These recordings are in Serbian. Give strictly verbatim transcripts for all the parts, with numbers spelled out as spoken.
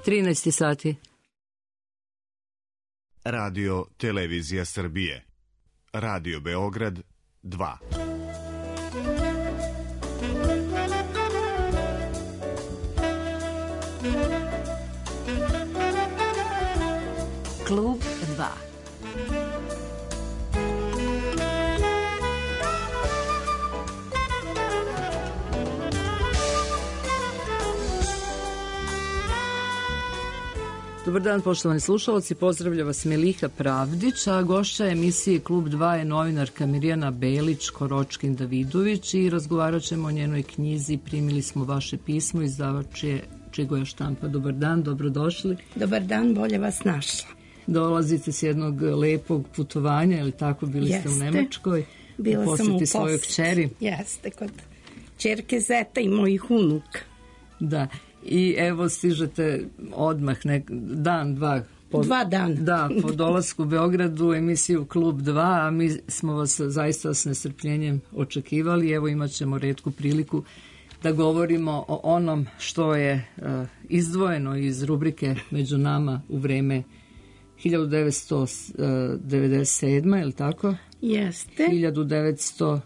trinaest sati. Radio Televizija Srbije. Radio Beograd dva. Klub dva. Dobar dan, poštovani slušalci, pozdravlja vas Melika Pravdić, a gošća emisije Klub dva je novinarka Mirjana Belić-Koročkin-Davidović i razgovarat ćemo o njenoj knjizi Primili smo vaše pismo, izdavač je Čigoja štampa. Dobar dan, dobrodošli. Dobar dan, bolje vas našla. Dolazite s jednog lepog putovanja, ili tako, bili Jeste. ste u Nemačkoj? Bila u sam u posjeti svojoj kćeri. Jeste, kod ćerke zeta i mojih unuka. Da, i evo stižete odmah, nek, dan, dva. Po, dva dana. Da, po dolasku u Beogradu u emisiju Klub dva, a mi smo vas zaista s nestrpljenjem očekivali. Evo imat ćemo retku priliku da govorimo o onom što je uh, izdvojeno iz rubrike Među nama u vreme hiljadu devetsto devedeset sedme, je li tako? Jeste. hiljadu devetsto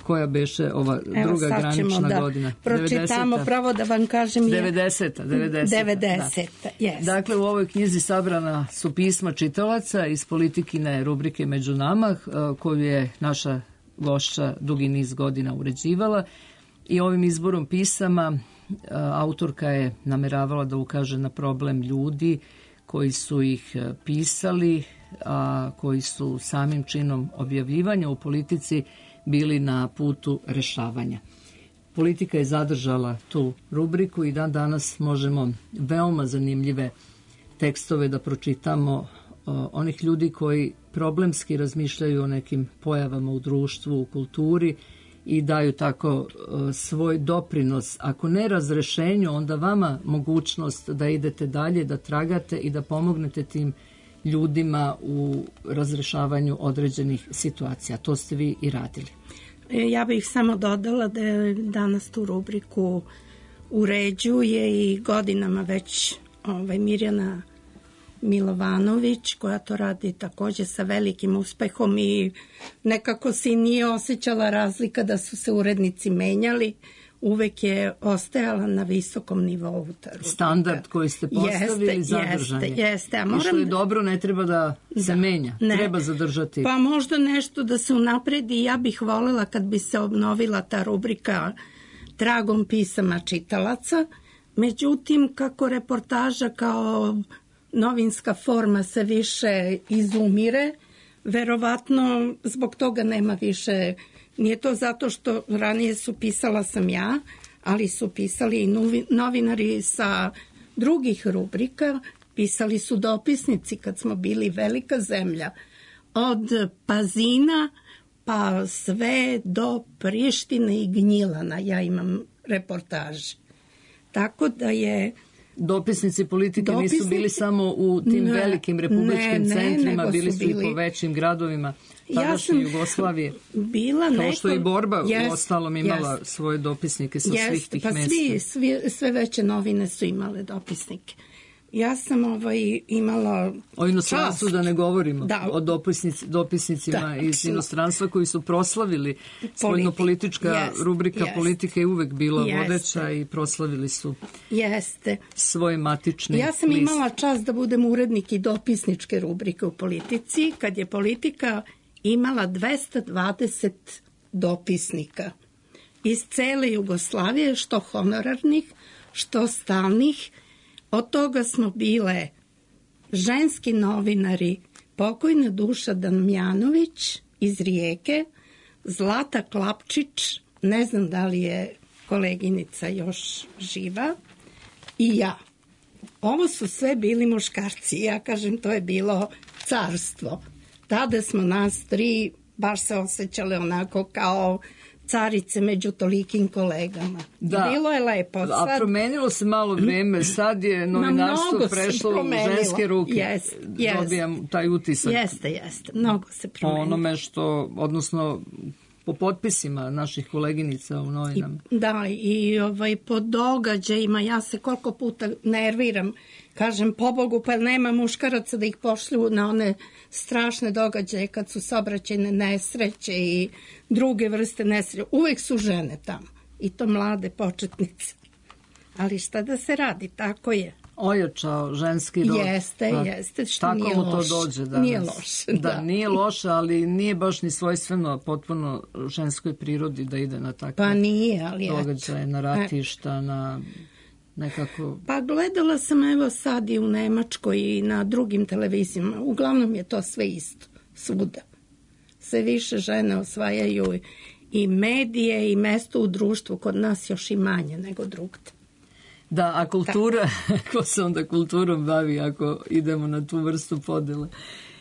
koja beše ova Evo, druga granična da godina. Pročitamo devedeseta. Pravo da vam kažem. Je... devedeseta. devedeseta, devedeseta, da. Yes. Dakle, u ovoj knjizi sabrana su pisma čitalaca iz Politikine rubrike Među nama, koju je naša gošća dugi niz godina uređivala. I ovim izborom pisama autorka je nameravala da ukaže na problem ljudi koji su ih pisali, a koji su samim činom objavljivanja u politici bili na putu rešavanja. Politika je zadržala tu rubriku i dan danas možemo veoma zanimljive tekstove da pročitamo onih ljudi koji problemski razmišljaju o nekim pojavama u društvu, u kulturi i daju tako svoj doprinos, ako ne razrešenju, onda vama mogućnost da idete dalje, da tragate i da pomognete tim ljudima u razrešavanju određenih situacija. To ste vi i radili. Ja bih samo dodala da je danas tu rubriku uređuje i godinama već ovaj, Mirjana Milovanović, koja to radi također sa velikim uspehom i nekako se nije osjećala razlika da su se urednici menjali. Uvek je ostajala na visokom nivou. Standard koji ste postavili jeste, zadržanje. Jeste, jeste. A moram... I što je dobro, ne treba da se da, menja. Ne. Treba zadržati. Pa možda nešto da se unapredi. Ja bih voljela kad bi se obnovila ta rubrika tragom pisama čitalaca. Međutim, kako reportaža kao novinska forma se više izumire, verovatno zbog toga nema više. Nije to zato što ranije su pisala sam ja, ali su pisali i novinari sa drugih rubrika, pisali su dopisnici kad smo bili velika zemlja. Od Pazina pa sve do Prištine i Gnjilana ja imam reportaže. Tako da je... Dopisnici politike Dopisnici... nisu bili samo u tim ne, velikim republičkim ne, centrima, ne, bili su bili... i po većim gradovima tadašnje ja Jugoslavije. Bila Kao neko... što je i Borba yes, u ostalom imala yes. svoje dopisnike sa yes, svih tih pa mesta. Svi, svi, sve veće novine su imale dopisnike. Ja sam ovaj, imala o inostranstvu čast. Da ne govorimo, da. O dopisnic, dopisnicima da, iz inostranstva koji su proslavili spoljnopolitička yes, rubrika yes. Politika je uvek bila Jeste. vodeća i proslavili su Jeste. svoj matični Ja sam list. Imala čast da budem urednik i dopisničke rubrike u Politici, kad je Politika imala dvesta dvadeset dopisnika iz cele Jugoslavije, što honorarnih, što stalnih. Od toga smo bile ženski novinari, pokojna Duša Damjanović iz Rijeke, Zlata Klapčić, ne znam da li je koleginica još živa, i ja. Ovo su sve bili muškarci. Ja kažem, to je bilo carstvo. Tada smo nas tri baš se osjećale onako kao carice među tolikim kolegama. Da. Bilo je lepo. Sad... A promenilo se malo vreme, sad je novinarstvo prešlo u ženske ruke. Yes, yes. Dobijam taj utisak. Jeste, jeste. Mnogo se promenilo. Po onome što, odnosno, po potpisima naših koleginica u novinama. I, da, i ovaj, po događajima, ja se koliko puta nerviram, kažem, pobogu, pa nema muškaraca da ih pošlju na one strašne događaje kad su saobraćajne nesreće i druge vrste nesreće. Uvek su žene tamo, i to mlade početnice. Ali šta da se radi, tako je. Ojačao ženski rod. Jeste, pa, jeste, što tako nije mu loše. to dođe danas. Nije loše, da. Da, nije loše, ali nije baš ni svojstveno potpuno ženskoj prirodi da ide na takve pa nije, ali događaje, na ratišta, na nekako... Pa gledala sam evo sad i u Nemačkoj i na drugim televizijama. Uglavnom je to sve isto, svuda. Sve više žene osvajaju i medije i mesto u društvu, kod nas još i manje nego drugde. Da, a kultura, ko se onda kulturom bavi ako idemo na tu vrstu podele?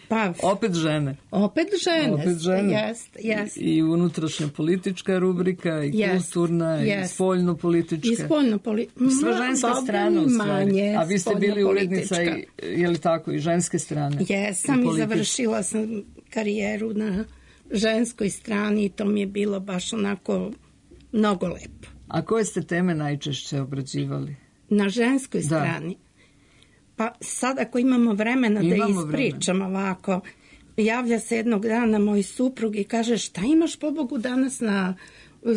Pa, opet žene. Opet žene, opet žene. Jest, jest. I unutrašnja politička rubrika, i jest, kulturna, jest. I spoljno politička. I spoljno politička. Sve ženska strana u stvari. A vi ste bili urednica i, je li tako, i ženske strane? Jesam i, i završila sam karijeru na ženskoj strani i to mi je bilo baš onako mnogo lepo. A koje ste teme najčešće obrađivali? Na ženskoj strani? Da. Pa sad ako imamo vremena imamo da ispričam vremena. Ovako, javlja se jednog dana moj suprug i kaže, šta imaš pobogu danas na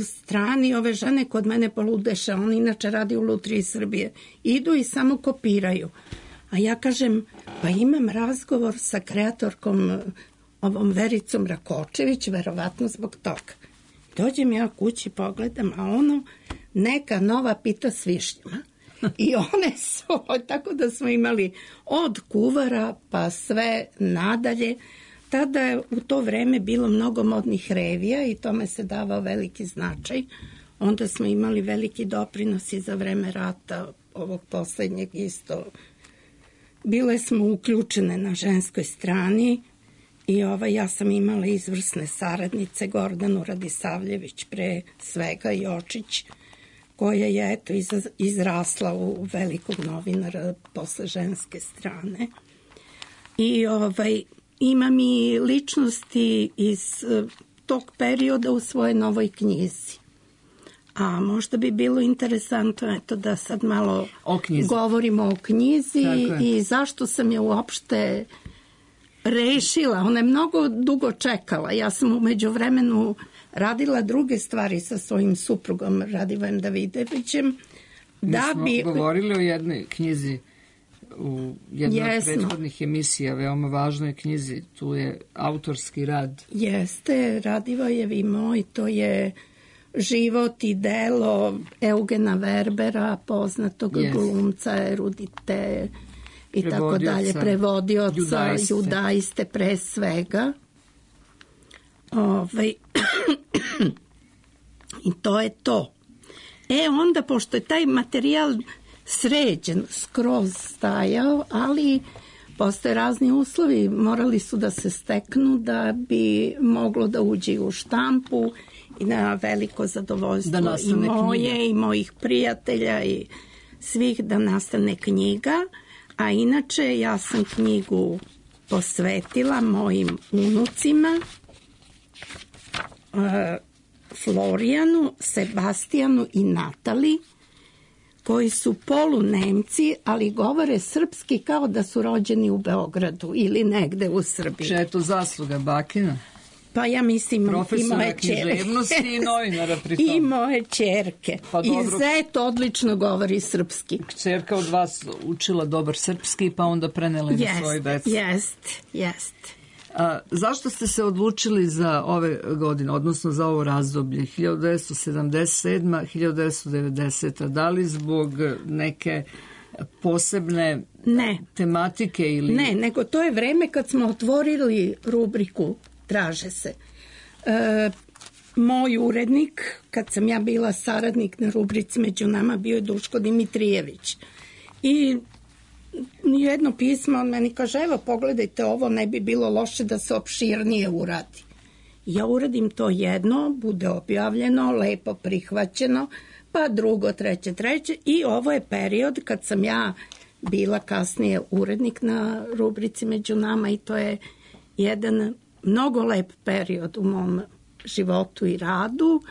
strani, ove žene kod mene poludeše, on inače radi u Lutriji Srbije, idu i samo kopiraju. A ja kažem, pa imam razgovor sa kreatorkom ovom Vericom Rakočević, verovatno zbog toga. Dođem ja kući, pogledam, a ono neka nova pita s višnjama. I one su, tako da smo imali od kuvara pa sve nadalje. Tada je u to vreme bilo mnogo modnih revija i tome se davao veliki značaj. Onda smo imali veliki doprinos i za vreme rata, ovog poslednjeg isto. Bile smo uključene na ženskoj strani i ovaj, ja sam imala izvrsne saradnice, Gordanu Radisavljević pre svega, Jočić, koja je eto izrasla u velikog novinara posle ženske strane. I ovaj, imam i ličnosti iz tog perioda u svojoj novoj knjizi. A možda bi bilo interesantno eto, da sad malo o govorimo o knjizi i zašto sam je uopšte rešila. Ona je mnogo dugo čekala. Ja sam u međuvremenu radila druge stvari sa svojim suprugom Radivojem Davidovićem. Da Mi smo bi... govorili o jednoj knjizi u jednoj od prethodnih emisija, veoma važnoj knjizi. Tu je autorski rad. Jeste, Radivojev i moj, to je život i delo Eugena Verbera, poznatog yes. glumca, erudite i tako dalje, prevodioca, judaiste, judaiste pre svega. Ovaj, i to je to. E onda, pošto je taj materijal sređen, skroz stajao, ali postoje razni uslovi, morali su da se steknu da bi moglo da uđe u štampu i na veliko zadovoljstvo i moje knjiga. I mojih prijatelja i svih da nastane knjiga. A inače ja sam knjigu posvetila mojim unucima, Florijanu, Sebastijanu i Natali, koji su polunemci, ali govore srpski kao da su rođeni u Beogradu ili negde u Srbiji. Če je to zasluga bakina? Pa ja mislim profesora i moje književnosti i novinara pri tom. I moje čerke. Pa I zet odlično govori srpski. Čerka od vas učila dobar srpski pa onda prenela na jest, svoj deci. Jest, jest. A, zašto ste se odlučili za ove godine, odnosno za ovo razdoblje, hiljadu devetsto sedamdeset sedma do hiljadu devetsto devedeseta? Da li zbog neke posebne ne. tematike? Ili... Ne, nego to je vreme kad smo otvorili rubriku Traže se. E, moj urednik, kad sam ja bila saradnik na rubrici Među nama, bio je Duško Dimitrijević. I jedno pismo on meni kaže, evo pogledajte ovo, ne bi bilo loše da se opširnije uradi. Ja uradim to jedno, bude objavljeno, lepo prihvaćeno, pa drugo, treće, treće i ovo je period kad sam ja bila kasnije urednik na rubrici Među nama i to je jedan mnogo lep period u mom životu i radu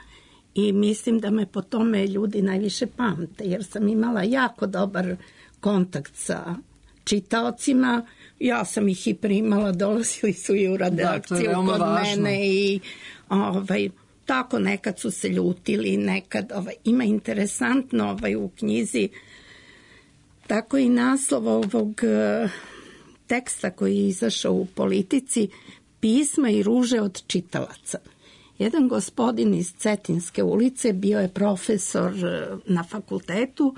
i mislim da me po tome ljudi najviše pamte, jer sam imala jako dobar kontakt sa čitaocima. Ja sam ih i primala, dolazili su i u redakciju da, kod važno. Mene i ovaj, tako nekad su se ljutili, nekad ovaj, ima interesantno ovaj, u knjizi tako i naslov ovog teksta koji je izašao u Politici, Pisma i ruže od čitalaca. Jedan gospodin iz Cetinske ulice, bio je profesor na fakultetu,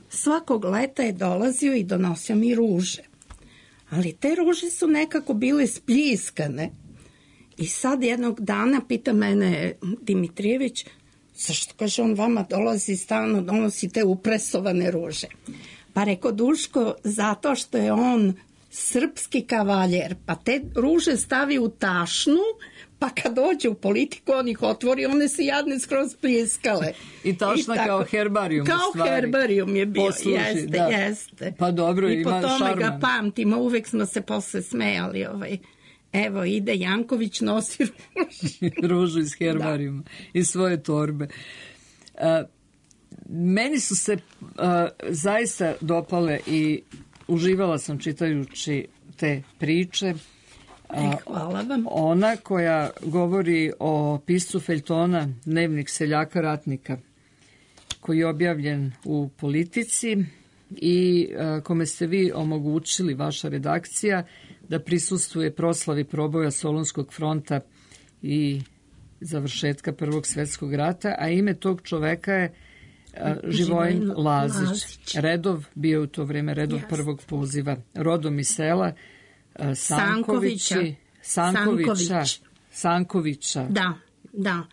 svakog leta je dolazio i donosio mi ruže. Ali te ruže su nekako bile spljiskane. I sad jednog dana pita mene Dimitrijević, zašto, kaže, on vama dolazi stalno, donosi te upresovane ruže. Pa reko, Duško, zato što je on srpski kavaljer, pa te ruže stavi u tašnu, pa kad dođe u politiku, on ih otvori, one se jadne skroz pljiskale. I tašna I kao herbarijum. Kao herbarijum je bio, posluži, jeste, da. jeste. Pa dobro, I ima šarman. I po tome ga pamtimo, uvek smo se posle smejali. Ovaj. Evo, ide Janković, nosi ružu. Ružu iz herbarijuma, da. Iz svoje torbe. Uh, meni su se uh, zaista dopale i uživala sam čitajući te priče. E, hvala vam. Ona koja govori o piscu feljtona Dnevnik seljaka ratnika, koji je objavljen u Politici i a, kome ste vi omogućili, vaša redakcija, da prisustvuje proslavi proboja Solunskog fronta i završetka Prvog svjetskog rata, a ime tog čoveka je a, Živojin Lazić. Lazić. Redov, bio u to vrijeme redov yes. prvog poziva, rodom iz sela Sankovića, Sankovića, Sankovića. Da, da.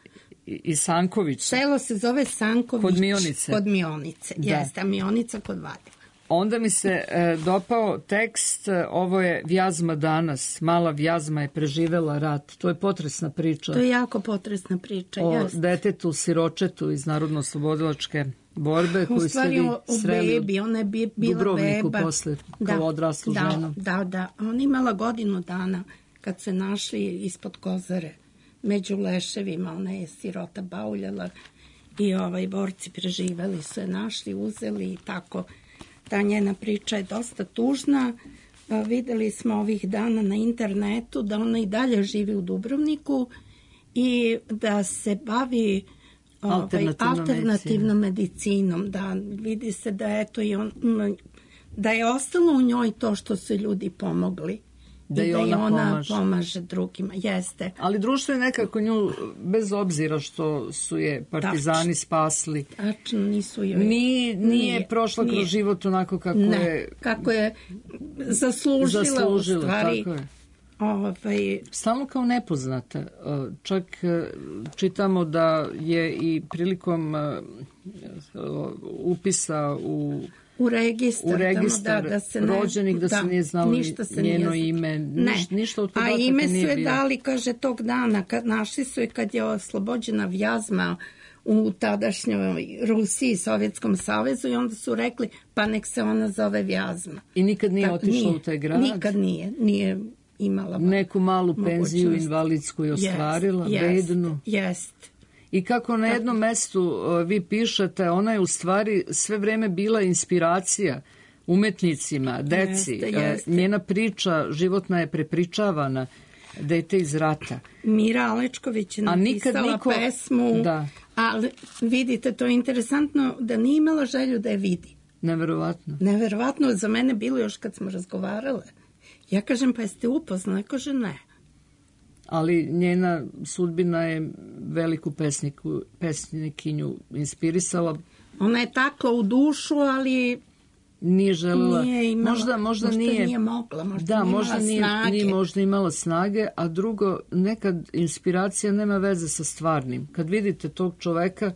I, i Sanković. Selo se zove Sanković. Kod Mionice. Kod Mionice, da. Jeste, a Mionica kod Vadila. Onda mi se e, dopao tekst, ovo je Vjazma danas, mala Vjazma je preživela rat. To je potresna priča. To je jako potresna priča, o jeste. detetu siročetu iz Narodno-oslobodilačke borbe koju ste vi sreli u bebi, ona je bila Dubrovniku beba. Posle, kao da, odraslu da, ženu. Da, da. Ona imala godinu dana kad se našli ispod Kozare među leševima. Ona je sirota bauljala i ovaj borci preživeli su je, našli, uzeli i tako. Ta njena priča je dosta tužna. Videli smo ovih dana na internetu da ona i dalje živi u Dubrovniku i da se bavi alternativnom, alternativnom medicinom. Da, vidi se da, eto, i on, da je ostalo u njoj to što su ljudi pomogli. Da i da ona, ona pomaže. pomaže drugima. Jeste. Ali društvo je nekako nju, bez obzira što su je partizani Tač. spasli. Tačno, nisu joj. Nije, nije, nije prošla nije. kroz život onako kako ne, je... kako je zaslužila, zaslužila u stvari. Tako je. Ovaj... Stalno kao nepoznata. Čak čitamo da je i prilikom upisa u... U registar, u registar da, da se ne, rođenih, da, da se nije znalo se njeno nije ime, niš, ništa od podataka nije bilo. A ime su je dali, kaže, tog dana, kad našli su je kad je oslobođena Vjazma u tadašnjoj Rusiji, Sovjetskom savezu, i onda su rekli, pa nek se ona zove Vjazma. I nikad nije tak, otišla nije, u taj grad? Nikad nije, nije imala neku malu penziju mogućnost. Invalidsku je ostvarila, jest, bednu. Jest. I kako na jednom mestu vi pišete, ona je u stvari sve vreme bila inspiracija umetnicima, deci. Jeste, jeste. Njena priča životna je prepričavana, dete iz rata. Mira Alečković je napisala niko... pesmu, da. Ali vidite, to je interesantno da nije imala želju da je vidi. Neverovatno. Neverovatno, za mene bilo još kad smo razgovarale. Ja kažem, pa jeste upoznali? Kaže, ne. Ali njena sudbina je veliku pesniku, pesnikinju inspirisala. Ona je takla u dušu, ali nije želela, nije imala, možda, možda, možda nije, nije mogla, možda da, nije možda imala nije, snage. Nije možda imala snage, a drugo, nekad inspiracija nema veze sa stvarnim. Kad vidite tog čoveka,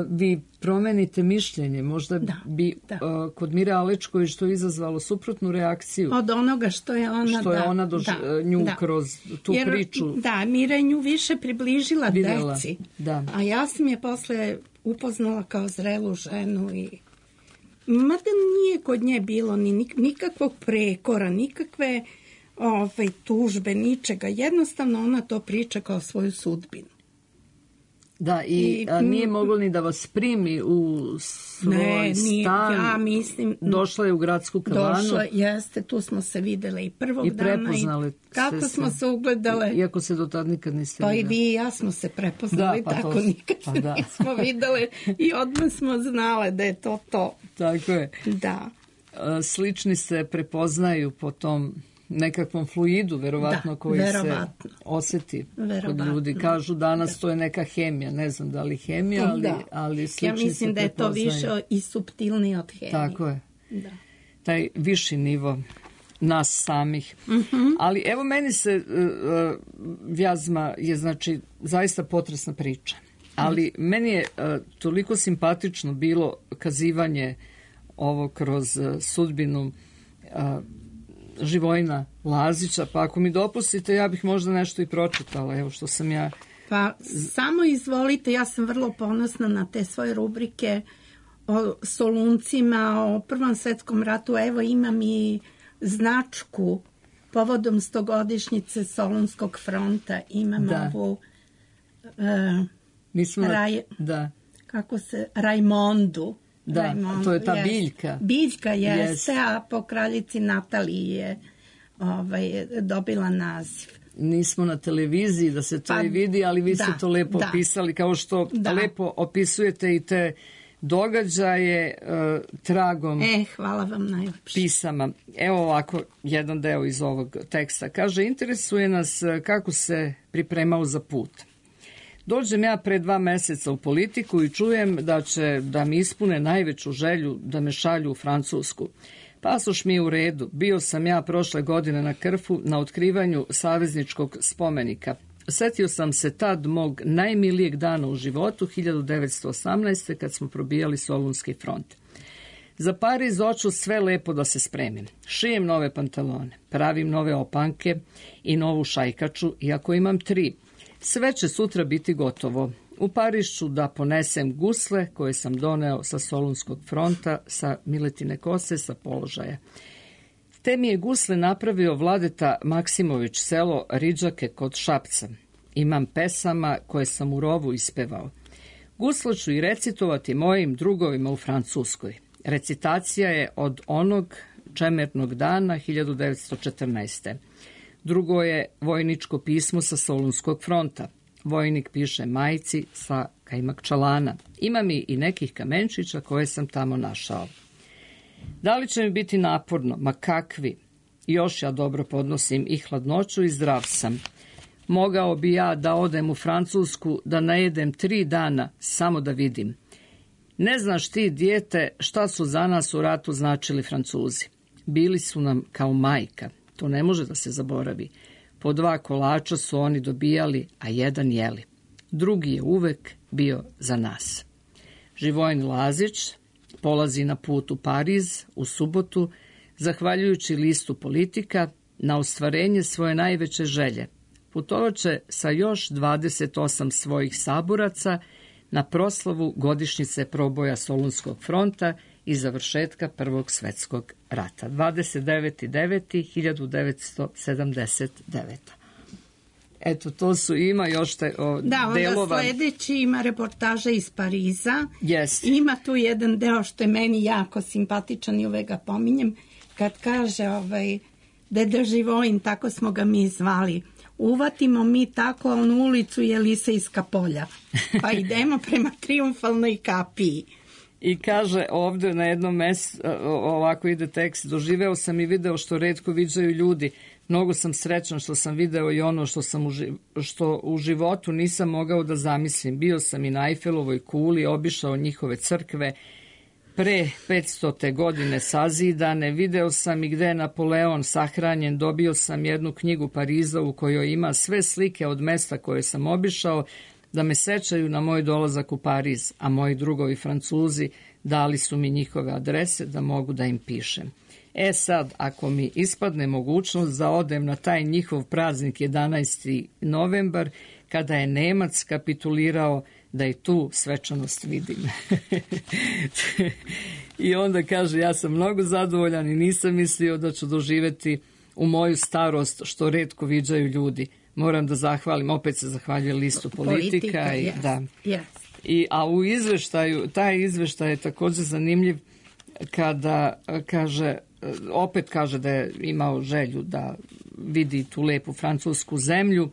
vi promenite mišljenje, možda da, bi da. Uh, kod Mire Alečković to izazvalo suprotnu reakciju. Od onoga što je ona, što je da, ona dož, da, nju da. kroz tu Jer, priču. Da, Mira je nju više približila videla, deci. Da. A ja sam je posle upoznala kao zrelu ženu i mada nije kod nje bilo ni nikakvog prekora, nikakve ovaj, tužbe, ničega. Jednostavno ona to priča kao svoju sudbinu. Da, i, I a nije moglo ni da vas primi u svoj ne, nije, stan. Ja mislim, došla je u gradsku kavanu. Došla, jeste, tu smo se videle i prvog i dana. I prepoznali. kako se smo se ugledale. Iako se do tad nikad niste Pa videli. i vi i ja smo se prepoznali, da, pa tako to, nikad pa se da. nismo videle i odmah smo znale da je to to. Tako je. Da. Slični se prepoznaju po tom nekakvom fluidu, verovatno, da, koji verovatno. se osjeti Verovatno. kod ljudi. Kažu danas da. To je neka hemija, ne znam da li hemija, ali, da. ali slični ja mislim se da je to više i suptilnije od hemije. Tako je. Da. Taj viši nivo nas samih. Uh-huh. Ali evo meni se uh, Vjazma je znači zaista potresna priča. Ali uh-huh. meni je uh, toliko simpatično bilo kazivanje ovo kroz uh, sudbinu uh, Živojina Lazića, pa ako mi dopustite, ja bih možda nešto i pročitala, evo što sam ja... Pa samo izvolite, ja sam vrlo ponosna na te svoje rubrike o Soluncima, o Prvom svetskom ratu, evo imam i značku povodom stogodišnjice Solunskog fronta, imam da. ovu Mi smo, raj, da. kako se, Rajmondu. Da, Rajmondu, to je ta jest. biljka. Biljka jeste, Yes. a po kraljici Nataliji je ovaj, dobila naziv. Nismo na televiziji da se to Pa, i vidi, ali vi da, ste to lepo da. opisali, kao što Da. lepo opisujete i te događaje uh, tragom E, hvala vam najlepše. pisama. Evo ovako, jedan deo iz ovog teksta. Kaže, interesuje nas kako se pripremao za put. Dođem ja pre dva meseca u politiku i čujem da će da mi ispune najveću želju da me šalju u Francusku. Pasoš mi je u redu. Bio sam ja prošle godine na Krfu na otkrivanju savezničkog spomenika. Setio sam se tad mog najmilijeg dana u životu, hiljadu devetsto osamnaeste. kad smo probijali Solunski front. Za Pariz hoću sve lepo da se spremim. Šijem nove pantalone, pravim nove opanke i novu šajkaču, iako imam tri. Sve će sutra biti gotovo. U Pariz ću da ponesem gusle koje sam doneo sa Solunskog fronta, sa Miletine kose, sa položaja. Te mi je gusle napravio Vladeta Maksimović, selo Riđake kod Šapca. Imam pesama koje sam u rovu ispevao. Gusle ću i recitovati mojim drugovima u Francuskoj. Recitacija je od onog čemernog dana hiljadu devetsto četrnaeste. Drugo je vojničko pismo sa Solunskog fronta. Vojnik piše majci sa Kajmakčalana. Ima mi i nekih kamenčića koje sam tamo našao. Da li će mi biti naporno? Ma kakvi? Još ja dobro podnosim i hladnoću i zdrav sam. Mogao bi ja da odem u Francusku, da najedem tri dana, samo da vidim. Ne znaš ti, dijete, šta su za nas u ratu značili Francuzi. Bili su nam kao majka. To ne može da se zaboravi. Po dva kolača su oni dobijali, a jedan jeli. Drugi je uvek bio za nas. Živojin Lazić polazi na put u Pariz u subotu, zahvaljujući listu Politika, na ostvarenje svoje najveće želje. Putovaće sa još dvadeset osam svojih saboraca na proslavu godišnjice proboja Solunskog fronta i završetka Prvog svetskog rata. dvadeset deveti deveti hiljadu devetsto sedamdeset devete. Eto, to su, ima još te o, da, onda delova. sledeći ima reportaža iz Pariza. Yes. Ima tu jedan deo što je meni jako simpatičan i uvek ga pominjem, kad kaže ovaj, deda Živojin, tako smo ga mi zvali, uvatimo mi tako onu ulicu Jelisejska polja, pa idemo prema Trijumfalnoj kapiji. I kaže ovdje na jednom mjestu, ovako ide tekst, doživeo sam i video što retko viđaju ljudi. Mnogo sam srećan što sam video i ono što, sam u, što u životu nisam mogao da zamislim. Bio sam i na Eifelovoj kuli, obišao njihove crkve, pre petstote godine sazidane, video sam i gde je Napoleon sahranjen, dobio sam jednu knjigu Pariza u kojoj ima sve slike od mesta koje sam obišao, da me sećaju na moj dolazak u Pariz, a moji drugovi Francuzi dali su mi njihove adrese da mogu da im pišem. E sad, ako mi ispadne mogućnost da odem na taj njihov praznik jedanaesti novembar, kada je Nemac kapitulirao, da i tu svečanost vidim. I onda kaže, ja sam mnogo zadovoljan i nisam mislio da ću doživjeti u moju starost što retko viđaju ljudi. Moram da zahvalim, opet se zahvaljuje listu Politika. Politika, i, yes, da. yes. I, a u izveštaju, taj izveštaj je također zanimljiv kada kaže, opet kaže da je imao želju da vidi tu lepu francusku zemlju,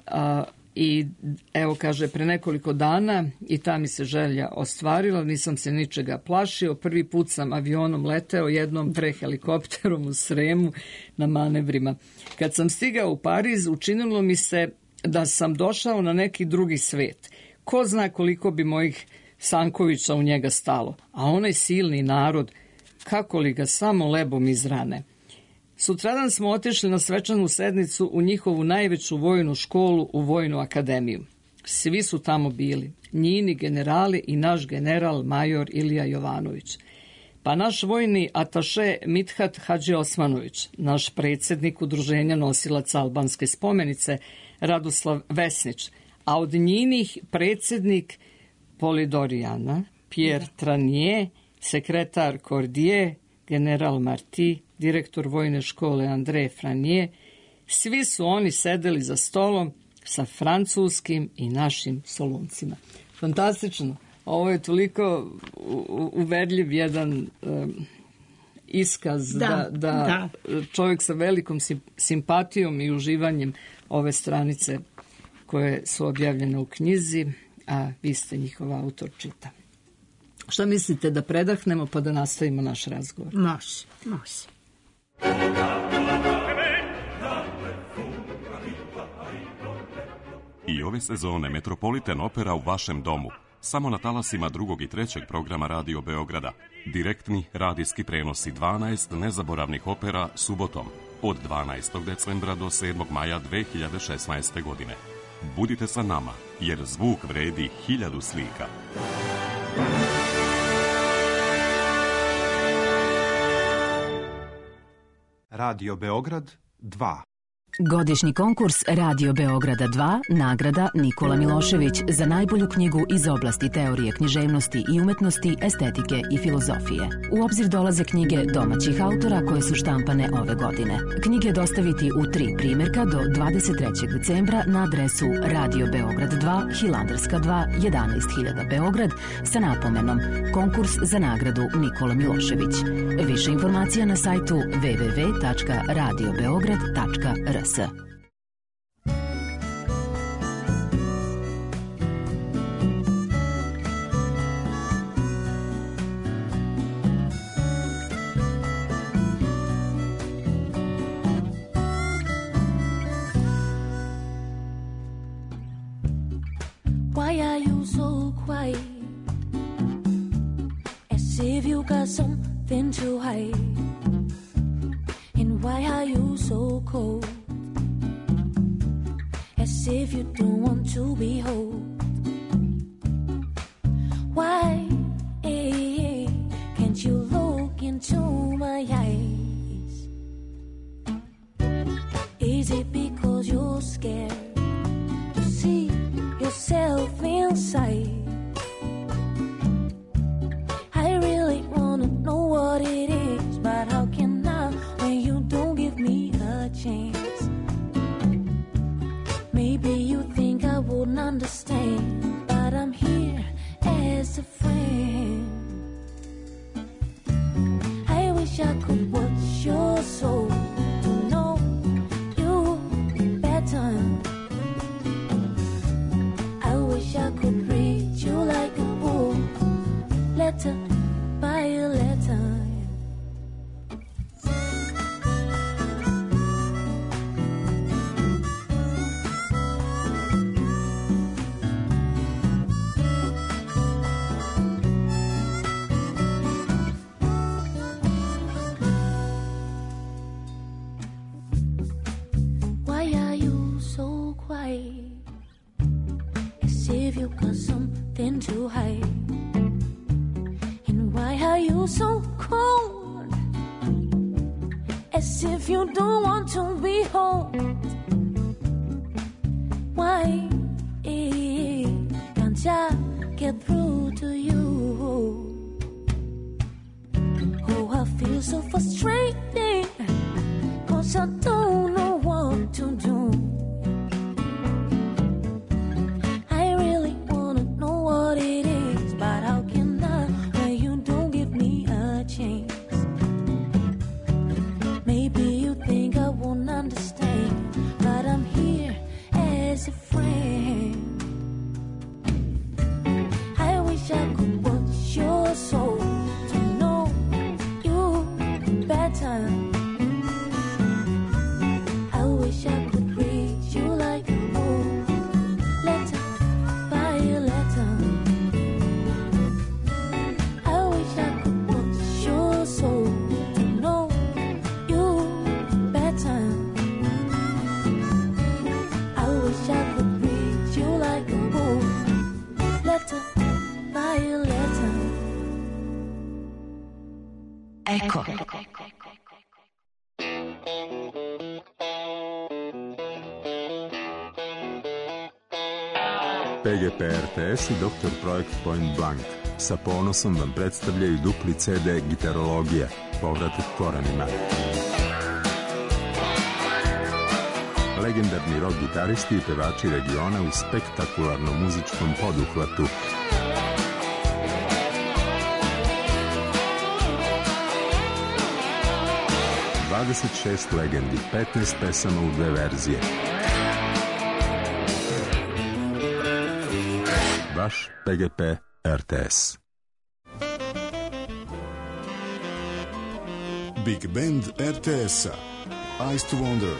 a, i evo kaže, pre nekoliko dana i ta mi se želja ostvarila, nisam se ničega plašio, prvi put sam avionom leteo, jednom pre helikopterom u Sremu na manevrima. Kad sam stigao u Pariz, učinilo mi se da sam došao na neki drugi svet. Ko zna koliko bi mojih Sankovića u njega stalo, a onaj silni narod, kako li ga samo lebom izrane. Sutradan smo otišli na svečanu sednicu u njihovu najveću vojnu školu, u Vojnu akademiju. Svi su tamo bili, njini generali i naš general major Ilija Jovanović. Pa naš vojni ataše Mithat Hadži Osmanović, naš predsjednik udruženja nosilaca albanske spomenice Radoslav Vesnić, a od njinih predsjednik Polidorijana, Pierre Tranier, sekretar Cordier, general Marti, direktor vojne škole André Franier, svi su oni sedeli za stolom sa francuskim i našim soluncima. Fantastično. Ovo je toliko uverljiv jedan um, iskaz da, da, da, da čovjek sa velikom simpatijom i uživanjem ove stranice koje su objavljene u knjizi, a vi ste njihov autor, čita. Šta mislite, da predahnemo pa da nastavimo naš razgovor? Može, može. I ove sezone Metropolitan Opera u vašem domu. Samo na talasima drugog i trećeg programa Radio Beograda. Direktni radijski prenosi dvanaest nezaboravnih opera subotom od dvanaestog decembra do sedmog maja dve hiljade šesnaeste. godine. Budite sa nama, jer zvuk vredi hiljadu slika. Radio Beograd dva. Godišnji konkurs Radio Beograda dva, nagrada Nikola Milošević za najbolju knjigu iz oblasti teorije književnosti i umetnosti, estetike i filozofije. U obzir dolaze knjige domaćih autora koje su štampane ove godine. Knjige dostaviti u tri primjerka do dvadeset trećeg decembra na adresu Radio Beograd dva, Hilandarska dva, jedanaest hiljada Beograd sa napomenom Konkurs za nagradu Nikola Milošević. Više informacija na sajtu w w w tačka radio beograd tačka r s. Why are you so quiet? As if you got something to hide. And why are you so cold? As if you don't want to be held. Why eh, can't you look into my eyes? Is it because you're scared to see yourself inside? I really wanna know what it is, but how can I when you don't give me a chance? Maybe you think I wouldn't understand, but I'm here as a friend. I wish I could watch your soul to know you better. I wish I could read you like a book, letter by a letter. As if you got something to hide. And why are you so cold? As if you don't want to be home. Why eh, can't I get through to you? Oh, I feel so frustrated, 'cause wish I don't know what to do. I really wanna know what it is, but how can I when you don't give me a chance? Maybe you think I won't understand, but I'm here as a friend. I wish I could watch your soul to know you better. I wish I could read you like a book, letter by letter. I wish I could watch your soul to know you better. I wish I could read you like a book, letter by letter. Eko. P G P R T S i Doktor Projekt Point Blank sa ponosom vam predstavljaju dupli C D Gitarologija, povratak korenima. Legendarni rock gitaristi i pevači regiona u spektakularnom muzičkom poduhvatu. dvadeset šest legendi, petnaest pesama u dve verzije. Vaš P G P R T S. Big Band R T S-a Eyes to Wonder.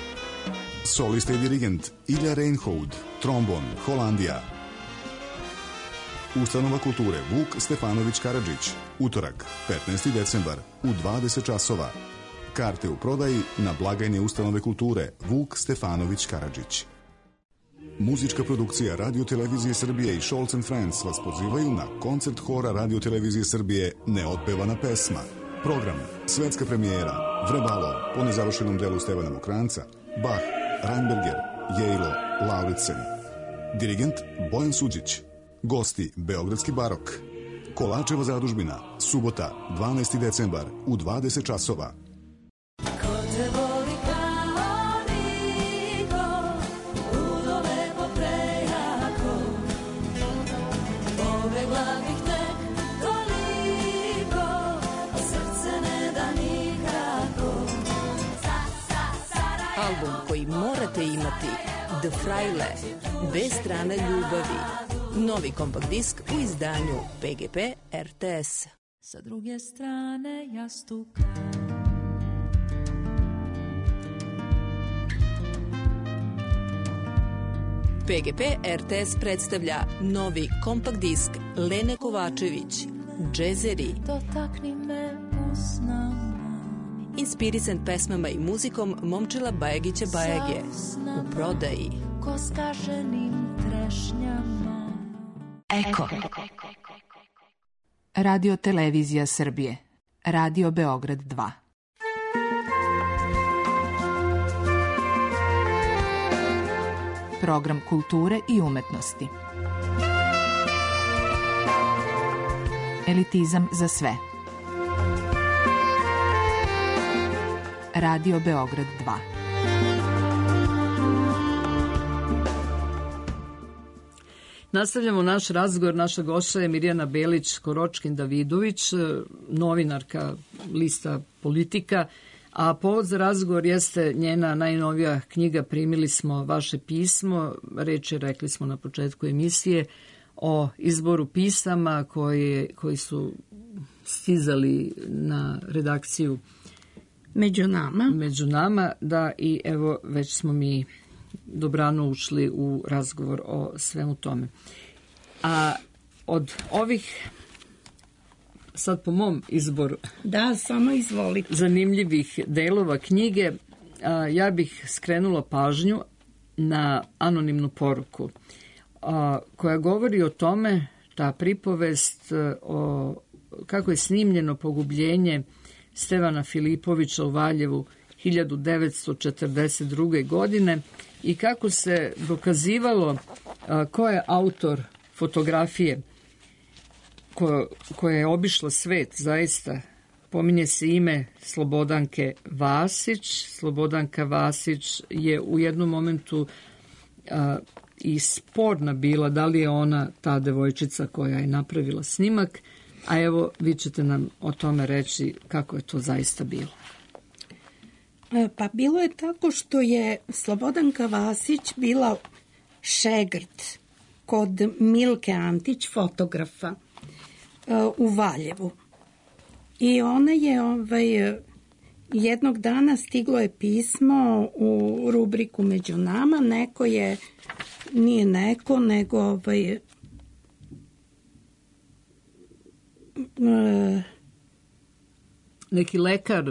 Solista i dirigent Ilja Reinhold, trombon, Holandija. Ustanova kulture Vuk Stefanović Karadžić, utorak, petnaesti decembar, u dvadeset časova. Karte u prodaji na blagajni Ustanove kulture Vuk Stefanović Karadžić. Muzička produkcija Radio Televizije Srbije i Scholz and Friends vas pozivaju na koncert hora Radio Televizije Srbije Neotpevana pesma. Program, svetska premijera, Vrebalo, po nezavršenom delu Stevana Mokranca, Bach, Reinberger, Jejlo, Lauritsen. Dirigent Bojan Suđić. Gosti Beogradski barok. Kolačeva zadužbina, subota, dvanaesti decembar, u dvadeset časova. Album koji morate imati, The Fraile, dve strane ljubavi. Novi kompakt disk u izdanju P G P R T S. Sa druge strane jastuka. P G P R T S predstavlja novi kompakt disk Lene Kovačević, Džezeri. Dotakni me usnama. Inspirisan pesmama i muzikom Momčila Bajagića Bajage. U prodaji. Ko skaženim trešnjama. Eko. Radio Televizija Srbije. Radio Beograd dva. Program kulture i umetnosti. Elitizam za sve. Radio Beograd dva. Nastavljamo naš razgovor. Naša gošća je Mirjana Belić-Koročkin-Davidović, novinarka lista Politika, a povod za razgovor jeste njena najnovija knjiga Primili smo vaše pismo. Reč je, rekli smo na početku emisije, o izboru pisama koji, koji su stizali na redakciju Među nama. Među nama, da, i evo već smo mi dobrano ušli u razgovor o svemu tome. A od ovih, sad po mom izboru, da, samo izvolite, zanimljivih delova knjige, a, ja bih skrenula pažnju na anonimnu poruku a, koja govori o tome, ta pripovest o kako je snimljeno pogubljenje Stevana Filipovića u Valjevu hiljadu devetsto četrdeset druge. godine i kako se dokazivalo a, ko je autor fotografije ko, koja je obišla svet zaista pominje se ime Slobodanke Vasić. Slobodanka Vasić je u jednom momentu a, i sporna bila da li je ona ta devojčica koja je napravila snimak, a evo vi ćete nam o tome reći kako je to zaista bilo. Pa bilo je tako što je Slobodanka Vasić bila šegrt kod Milke Antić, fotografa, u Valjevu. I ona je ovaj, jednog dana stiglo je pismo u rubriku Među nama, neko je, nije neko, nego ovaj, neki lekar,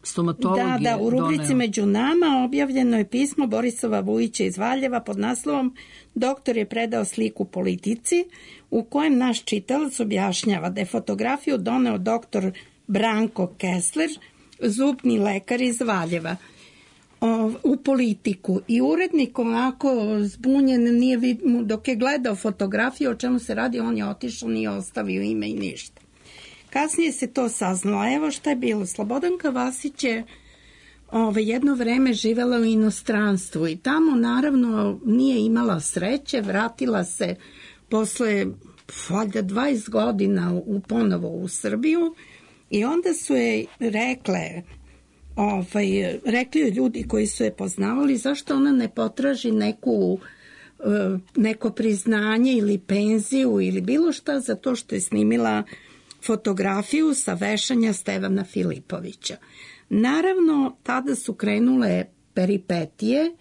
stomatolog da, da, u rubrici doneo. Među nama objavljeno je pismo Borisova Vujića iz Valjeva pod naslovom Doktor je predao sliku Politici, u kojem naš čitalac objašnjava da je fotografiju doneo doktor Branko Kessler, zubni lekar iz Valjeva, u Politiku. I urednik onako zbunjen, nije vid, dok je gledao fotografiju o čemu se radi, on je otišao, nije ostavio ime i ništa. Kasnije se to saznalo. Evo šta je bilo. Slobodanka Vasić je ove, jedno vreme živela u inostranstvu i tamo naravno nije imala sreće, vratila se posle valjda dvadeset godina u, ponovo u Srbiju i onda su je rekle, ovaj, rekli joj ljudi koji su je poznavali zašto ona ne potraži neku, neko priznanje ili penziju ili bilo šta za to što je snimila fotografiju sa vešanja Stevana Filipovića. Naravno, tada su krenule peripetije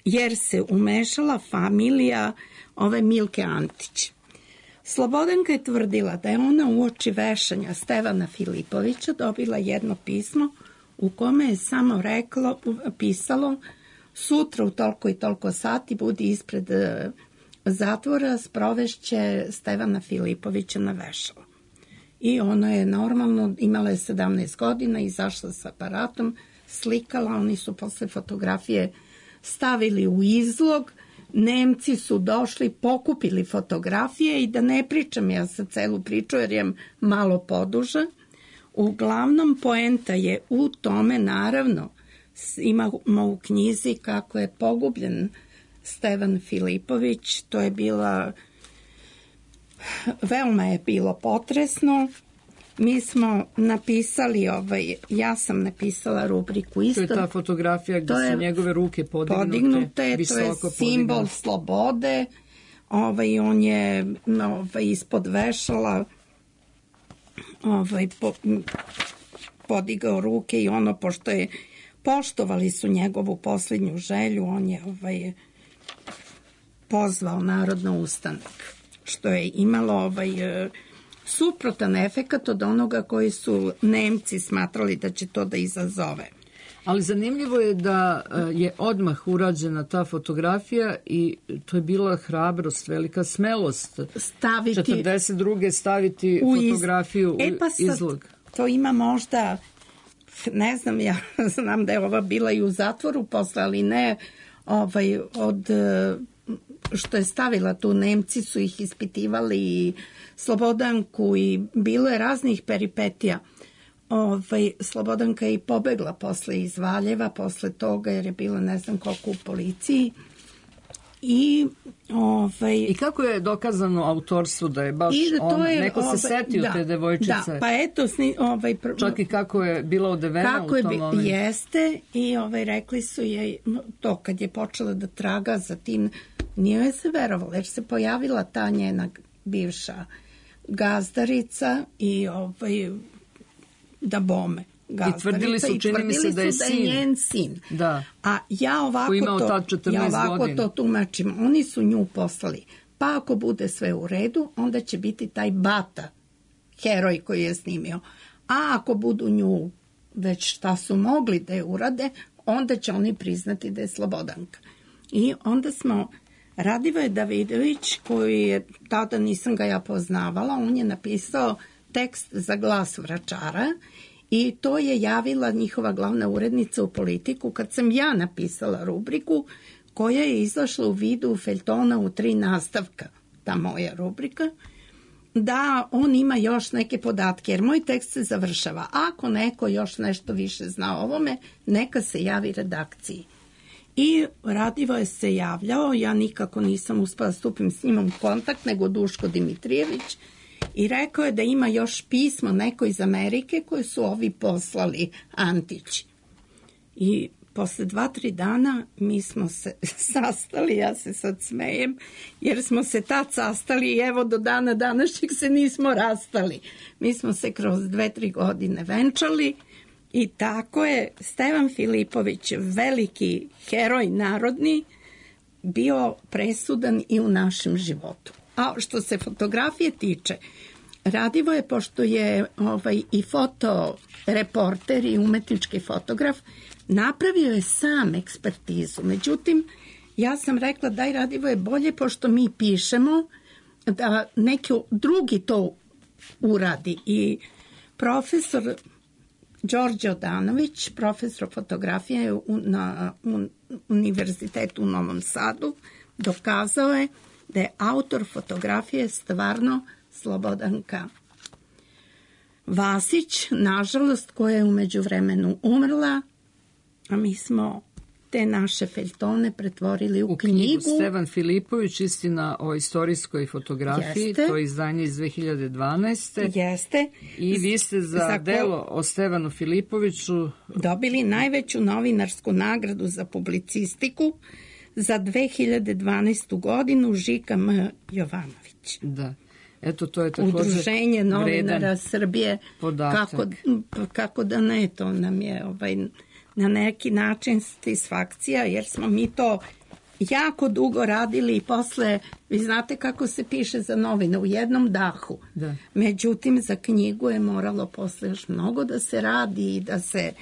jer se umešala familija ove Milke Antić. Slobodanka je tvrdila da je ona uoči vešanja Stevana Filipovića dobila jedno pismo u kome je samo reklo, pisalo sutra u toliko i toliko sati budi ispred zatvora, sprovešće Stevana Filipovića na vešalo. I ona je normalno, imala je sedamnaest godina, izašla s aparatom, slikala, oni su posle fotografije stavili u izlog, Nemci su došli, pokupili fotografije i da ne pričam ja sa celu priču jer je malo poduža. Uglavnom poenta je u tome, naravno, imamo u knjizi kako je pogubljen Stevan Filipović, to je bila, veoma je bilo potresno. Mi smo napisali, ovaj, ja sam napisala rubriku isto. To je ta fotografija gdje su njegove ruke podignute, podignute visoko to je simbol podignute. slobode. Ovaj, on je ovaj, ispod vešala ovaj, po, podigao ruke i ono, pošto je poštovali su njegovu posljednju želju, on je ovaj, pozvao narod na ustanak, što je imalo ovaj, suprotan efekat od onoga koji su Nemci smatrali da će to da izazove. Ali zanimljivo je da je odmah urađena ta fotografija i to je bila hrabrost, velika smelost. Staviti četrdeset druge staviti u fotografiju iz... e, pa u izlog. To ima možda, ne znam, ja znam da je ova bila i u zatvoru posle, ali ne ovaj, od što je stavila tu, Nemci su ih ispitivali i Slobodanku i bilo je raznih peripetija. Ovaj, Slobodanka je i pobegla posle iz Valjeva, posle toga jer je bila ne znam koliko u policiji. I, ovaj, I kako je dokazano autorstvo da je baš da on, je, neko ovaj, se setio da, te devojčice? Da, pa eto, sni, ovaj, pr... čak i kako je bila odevena kako u tom je, momentu. Jeste, i ovaj, rekli su je to kad je počela da traga za tim, nije joj se verovalo, jer se pojavila ta njena bivša gazdarica i ovaj, da bome. I tvrdili su, čini mi se da je sin. Da je njen sin. Da. A ja ovako, to, ja ovako to tumačim. Oni su nju poslali. Pa ako bude sve u redu, onda će biti taj Bata, heroj koji je snimio. A ako budu nju već šta su mogli da je urade, onda će oni priznati da je Slobodanka. I onda smo, Radivoje Davidović, koji je, tada nisam ga ja poznavala, on je napisao tekst za Glas Vračara i to je javila njihova glavna urednica u Politiku kad sam ja napisala rubriku koja je izašla u vidu feljtona u tri nastavka, ta moja rubrika. da on ima još neke podatke, jer moj tekst se završava. Ako neko još nešto više zna o ovome, neka se javi redakciji. I Radivoje se javljao, ja nikako nisam uspela stupim s njim u kontakt, nego Duško Dimitrijević, i rekao je da ima još pismo neko iz Amerike koje su ovi poslali, Antić. I posle dva, tri dana mi smo se sastali, ja se sad smejem, jer smo se tad sastali i evo do dana današnjeg se nismo rastali. Mi smo se kroz dve, tri godine venčali i tako je Stevan Filipović, veliki heroj narodni, bio presudan i u našem životu. A što se fotografije tiče, Radivoje, pošto je ovaj, i fotoreporter i umetnički fotograf, napravio je sam ekspertizu. Međutim, ja sam rekla daj Radivoje bolje, pošto mi pišemo, da neki drugi to uradi. I profesor Đorđe Odanović, profesor fotografije na Univerzitetu u Novom Sadu, dokazao je da je autor fotografije stvarno Slobodanka Vasić, nažalost, koja je u međuvremenu umrla, a mi smo te naše feljtone pretvorili u, u knjigu. knjigu Stevan Filipović, istina o istorijskoj fotografiji, Jeste. To je izdanje iz dve hiljade dvanaeste. Jeste. I vi ste za, za delo o Stevanu Filipoviću dobili najveću novinarsku nagradu za publicistiku za dve hiljade dvanaestu godinu, Žika M. Jovanović. Da. Eto, to je također Udruženje novinara Srbije. Podatak. Kako, kako da ne, to nam je ovaj, na neki način satisfakcija, jer smo mi to jako dugo radili i posle, vi znate kako se piše za novine, u jednom dahu. Da. Međutim, za knjigu je moralo posle još mnogo da se radi i da se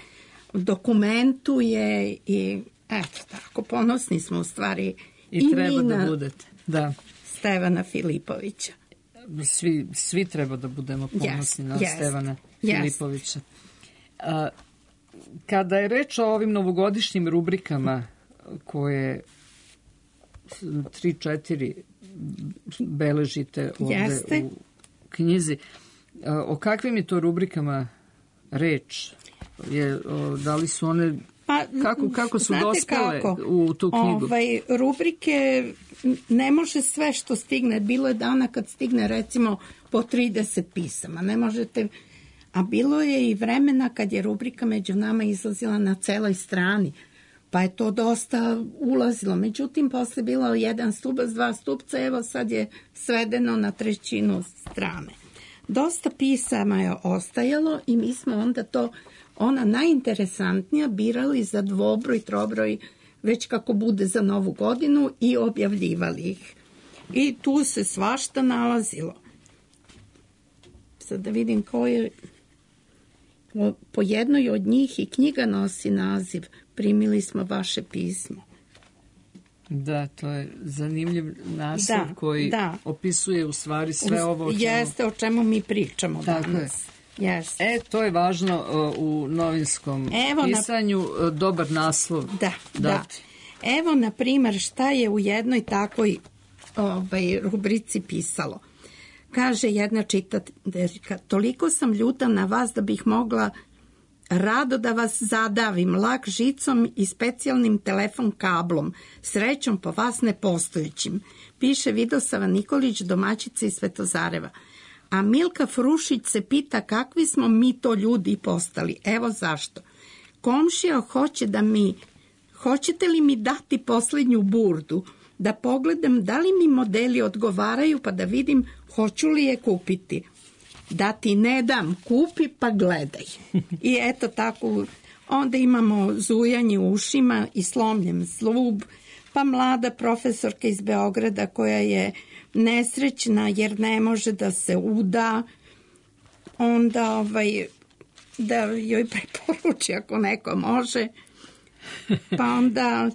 dokumentuje i eto tako, ponosni smo u stvari i, i treba mi da na budete. Da. Stevana Filipovića. Svi, svi treba da budemo ponosni yes, na yes, Stevana yes. Filipovića. A, kada je reč o ovim novogodišnjim rubrikama koje tri, četiri beležite ovde Jeste. u knjizi, a, o kakvim je to rubrikama reč? Je, o, da li su one... Pa, kako, kako su dospele kako? u tu knjigu? Ovaj, rubrike ne može sve što stigne. Bilo je dana kad stigne recimo po trideset pisama. Ne možete... A bilo je i vremena kad je rubrika Među nama izlazila na celoj strani. Pa je to dosta ulazilo. Međutim, posle bilo jedan stubac, dva stupca, evo sad je svedeno na trećinu strane. Dosta pisama je ostajalo i mi smo onda to... ona najinteresantnija birali za dvobroj, trobroj, već kako bude za novu godinu i objavljivali ih. I tu se svašta nalazilo. Sad da vidim koje... Po jednoj od njih i knjiga nosi naziv Primili smo vaše pismo. Da, to je zanimljiv naslov da, koji da. opisuje u stvari sve ovo o čemu... Jeste o čemu mi pričamo Tako danas. Je. Yes. E, to je važno uh, u novinskom Evo pisanju, na... dobar naslov. Da, dati. da. Evo, na primjer, šta je u jednoj takvoj ovaj, rubrici pisalo. Kaže jedna čitateljka, toliko sam ljuta na vas da bih mogla rado da vas zadavim lak žicom i specijalnim telefon kablom, srećom po vas nepostojućim. Piše Vidosava Nikolić, domaćica iz Svetozareva. A Milka Frušić se pita kakvi smo mi to ljudi postali. Evo zašto. Komšija hoće da mi, hoćete li mi dati posljednju burdu, da pogledam da li mi modeli odgovaraju pa da vidim hoću li je kupiti. Da ti ne dam, kupi pa gledaj. I eto tako, onda imamo zujanje u ušima i slomljen zlub, pa mlada profesorka iz Beograda koja je nesrećna jer ne može da se uda, onda ovaj, da joj preporuči ako neko može, pa onda...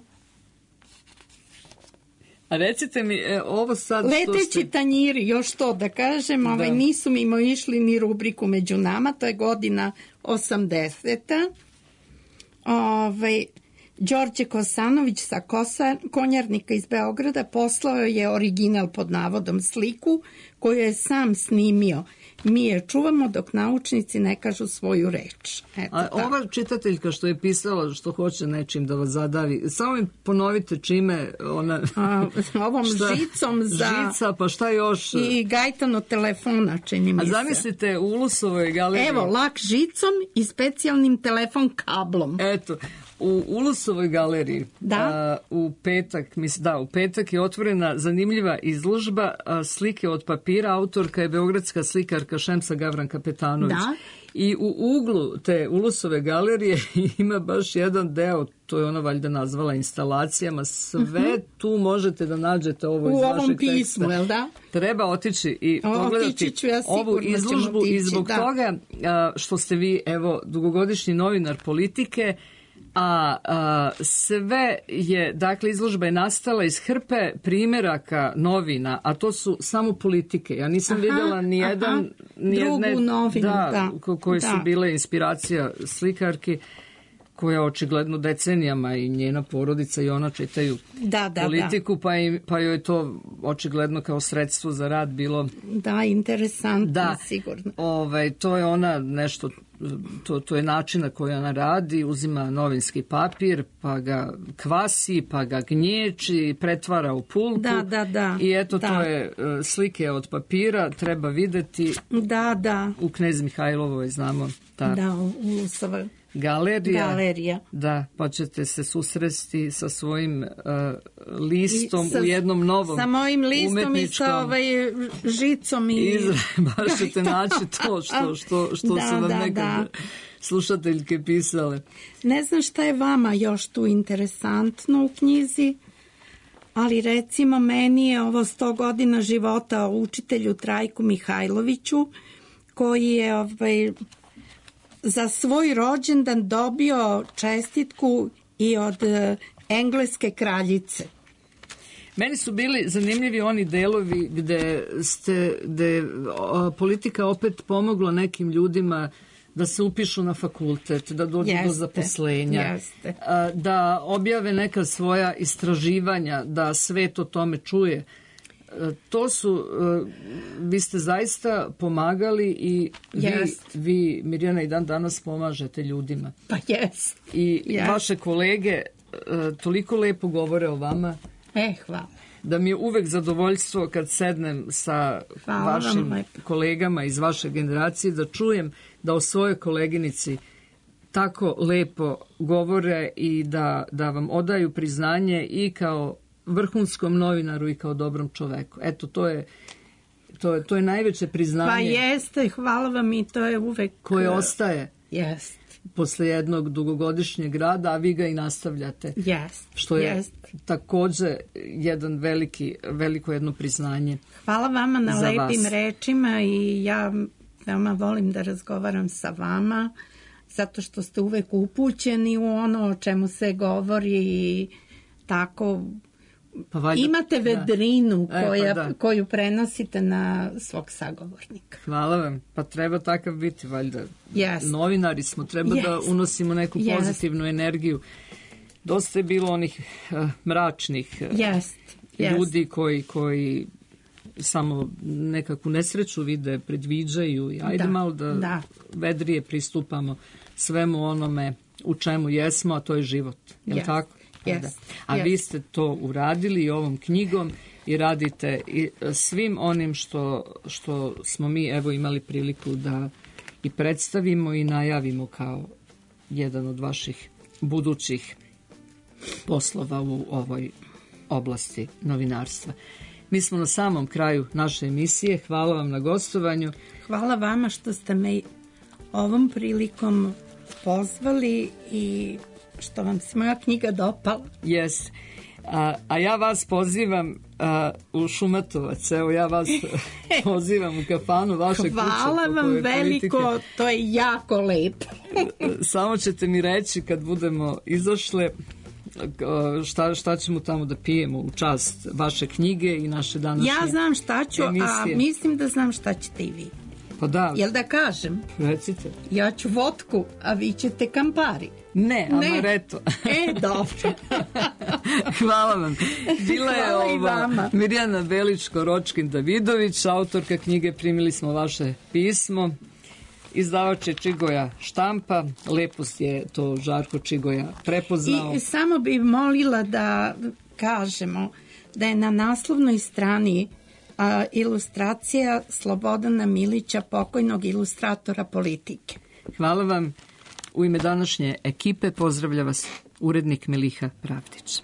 A recite mi, e, ovo sad... Leteći ste... tanjiri, još to da kažem, ovaj, da. nisu mimo išli ni rubriku Među nama, to je godina osamdeseta. Ovaj, Đorđe Kosanović sa Kosa, Konjarnika iz Beograda poslao je original pod navodom sliku koju je sam snimio. Mi je čuvamo dok naučnici ne kažu svoju reč. Eto, A ova čitateljka što je pisala što hoće nečim da vas zadavi, samo mi ponovite čime ona... A, ovom šta, žicom za... Žica, pa šta još? I gajtano telefona, čini mi se. A zamislite u Ulusovoj galeriji... Evo, lak žicom i specijalnim telefon kablom. Eto, u Ulusovoj galeriji da? a, u petak, mislim, da, u petak je otvorena zanimljiva izložba a, slike od papira. Autorka je beogradska slikarka Šemsa Gavran Kapetanović. Da? I u uglu te Ulusove galerije ima baš jedan deo, to je ona valjda nazvala instalacijama, sve uh-huh. tu možete da nađete ovo iz u vašeg ovom pismu, teksta. Jel da? Treba otići i o, pogledati ja ovu izložbu tići, i zbog da. toga a, što ste vi, evo, dugogodišnji novinar Politike, a, a sve je, dakle, izložba je nastala iz hrpe primjeraka novina, a to su samo Politike. Ja nisam aha, vidjela ni jedan, ni drugu jedne, novinu, da, da, ko, koje da. su bile inspiracija slikarki, koja očigledno decenijama i njena porodica i ona čitaju da, da, Politiku, da. Pa, im, pa joj je to očigledno kao sredstvo za rad bilo... Da, interesantno, da, sigurno. Ovaj, to je ona nešto, to, to je način na koji ona radi, uzima novinski papir, pa ga kvasi, pa ga gnječi, pretvara u pulpu. Da, da, da. I eto, da. to je slike od papira, treba videti. Da, da. U Knez Mihajlovoj, znamo. Ta. Da, u Ulusovoj. Galerija, Galerija. Da, pa ćete se susresti sa svojim uh, listom sa, u jednom novom sa mojim listom umetničkom... i sa ovaj žicom i... Izra, baš ćete naći to što, što, što da, su vam da, nekad da. slušateljke pisale. Ne znam šta je vama još tu interesantno u knjizi, ali recimo meni je ovo sto godina života o učitelju Trajku Mihajloviću, koji je ovaj... za svoj rođendan dobio čestitku i od e, engleske kraljice. Meni su bili zanimljivi oni delovi gde ste, gde o, politika opet pomogla nekim ljudima da se upišu na fakultet, da dođu jeste, do zaposlenja, jeste. A, da objave neka svoja istraživanja, da svet o tome čuje. To su, vi ste zaista pomagali i vi, vi, Mirjana, i dan danas pomažete ljudima. Pa jes. I yes. vaše kolege toliko lepo govore o vama. E, hvala. Da mi je uvek zadovoljstvo kad sednem sa hvala vašim kolegama iz vaše generacije, da čujem da o svojoj koleginici tako lepo govore i da, da vam odaju priznanje i kao vrhunskom novinaru i kao dobrom čoveku. Eto, to je, to je, to je najveće priznanje. Pa jeste, hvala vam i to je uvek... Koje ostaje jest. posle jednog dugogodišnjeg rada, a vi ga i nastavljate. Jest. Što je jest. takođe jedan veliki, veliko jedno priznanje. Hvala vama na lepim vas. rečima i ja veoma volim da razgovaram sa vama, zato što ste uvek upućeni u ono o čemu se govori i tako... Pa valjda, imate vedrinu da. koja, e, pa da. koju prenosite na svog sagovornika. Hvala vam. Pa treba takav biti, valjda. Yes. Novinari smo, treba yes. da unosimo neku yes. pozitivnu energiju. Dosta je bilo onih uh, mračnih uh, yes. Yes. ljudi koji, koji samo nekakvu nesreću vide, predviđaju i ajde da. malo da, da vedrije pristupamo svemu onome u čemu jesmo, a to je život. Je li yes. tako? Yes. A yes. vi ste to uradili i ovom knjigom i radite i svim onim što, što smo mi evo imali priliku da i predstavimo i najavimo kao jedan od vaših budućih poslova u ovoj oblasti novinarstva. Mi smo na samom kraju naše emisije. Hvala vam na gostovanju. Hvala vama što ste me ovom prilikom pozvali i što vam se moja knjiga dopala. Yes. A, a ja vas pozivam a, u Šumatovac. Evo, ja vas pozivam u kafanu vaše kuće. Hvala vam veliko, politike. To je jako lepo. Samo ćete mi reći kad budemo izašle šta, šta ćemo tamo da pijemo u čast vaše knjige i naše današnje Ja znam šta ću, emisije. A mislim da znam šta ćete i vi. Pa da. Jel da kažem? Recite. Ja ću vodku, a vi ćete Campari. Ne, amaretto. E, dobro. Hvala vam. Bila je Hvala i ova vama. Mirjana Veličko-Ročkin-Davidović, autorka knjige. Primili smo vaše pismo. Izdavač je Čigoja štampa. Lepo je to Žarko Čigoja prepoznao. I samo bih molila da kažemo da je na naslovnoj strani a, ilustracija Slobodana Milića, pokojnog ilustratora Politike. Hvala vam. U ime današnje ekipe pozdravlja vas urednik Miliha Pravdić.